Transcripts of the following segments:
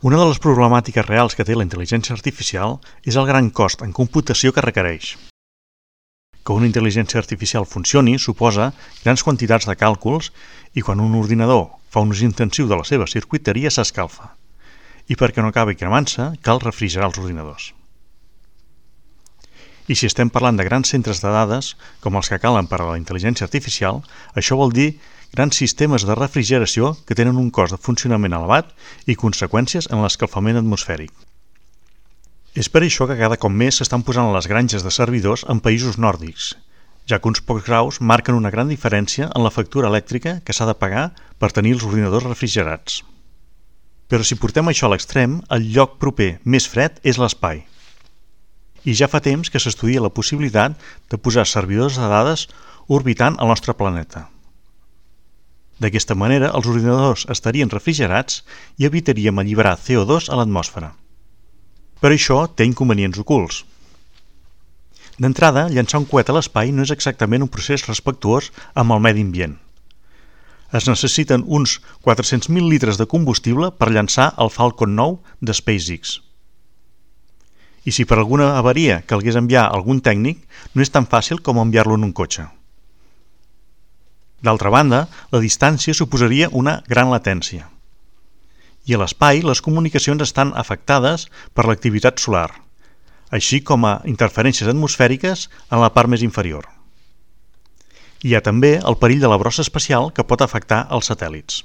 Una de les problemàtiques reals que té la intel·ligència artificial és el gran cost en computació que requereix. Que una intel·ligència artificial funcioni suposa grans quantitats de càlculs i quan un ordinador fa un ús intensiu de la seva circuiteria s'escalfa. I perquè no acabi cremant-se, cal refrigerar els ordinadors. I si estem parlant de grans centres de dades, com els que calen per a la intel·ligència artificial, això vol dir grans sistemes de refrigeració que tenen un cost de funcionament elevat i conseqüències en l'escalfament atmosfèric. És per això que cada cop més s'estan posant les granges de servidors en països nòrdics, ja que uns pocs graus marquen una gran diferència en la factura elèctrica que s'ha de pagar per tenir els ordinadors refrigerats. Però si portem això a l'extrem, el lloc proper més fred és l'espai. I ja fa temps que s'estudia la possibilitat de posar servidors de dades orbitant el nostre planeta. D'aquesta manera, els ordinadors estarien refrigerats i evitaríem alliberar CO2 a l'atmosfera. Però això té inconvenients ocults. D'entrada, llançar un coet a l'espai no és exactament un procés respectuós amb el medi ambient. Es necessiten uns 400.000 litres de combustible per llançar el Falcon 9 de SpaceX. I si per alguna avaria calgués enviar algun tècnic, no és tan fàcil com enviar-lo en un cotxe. D'altra banda, la distància suposaria una gran latència. I a l'espai, les comunicacions estan afectades per l'activitat solar, així com a interferències atmosfèriques en la part més inferior. Hi ha també el perill de la brossa espacial que pot afectar els satèl·lits.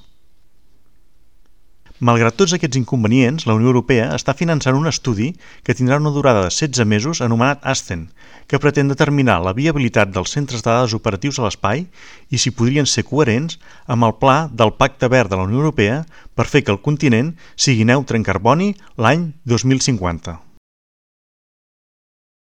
Malgrat tots aquests inconvenients, la Unió Europea està finançant un estudi que tindrà una durada de 16 mesos anomenat ASCEN, que pretén determinar la viabilitat dels centres de dades operatius a l'espai i si podrien ser coherents amb el pla del Pacte Verd de la Unió Europea per fer que el continent sigui neutre en carboni l'any 2050.